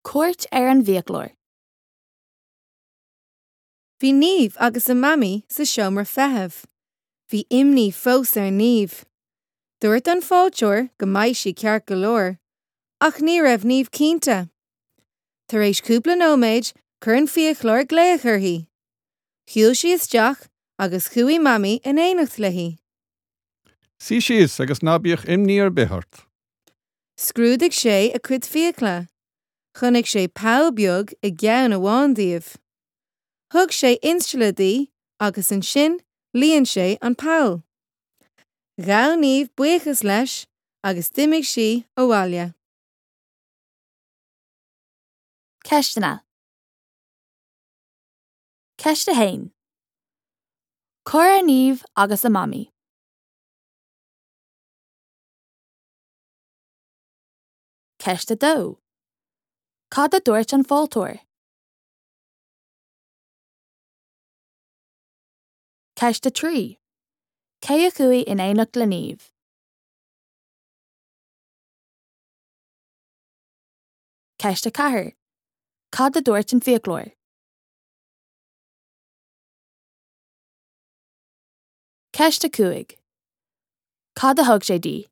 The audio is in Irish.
Cuairt ar an bhfiaclóir. Bhí Niamh agus a Mamaí sa seomra feithimh. Bhí imní fós ar Niamh. Dúirt an fáilteoir go mbeidh sí ceart go leor, ach ní raibh Niamh cinnte. Tar éis cúpla nóiméad chuir an fiaclóir glaoch uirthi. Shiúil sí isteach agus chuaigh Mamaí in éineacht léi. Suigh síos agus ná bíodh imní ar bith ort. Scrúdaigh sé a cuid fiacla. Chonaic sé poll beag i gceann amháin díobh. Thug sé instealladh di agus ansin líon sé an poll. Ghabh Niamh buíochas leis agus d'imigh sí abhaile. Ceisteanna. Ceist 1. Cá raibh Niamh agus a Mamaí? Ceist 2. Cad a dúirt an fáilteoir? Ceist 3. Cé a chuaigh in éineacht le Niamh? Ceist 4. Cad a dúirt an fiaclóir? Ceist 5. Cad a thug sé di?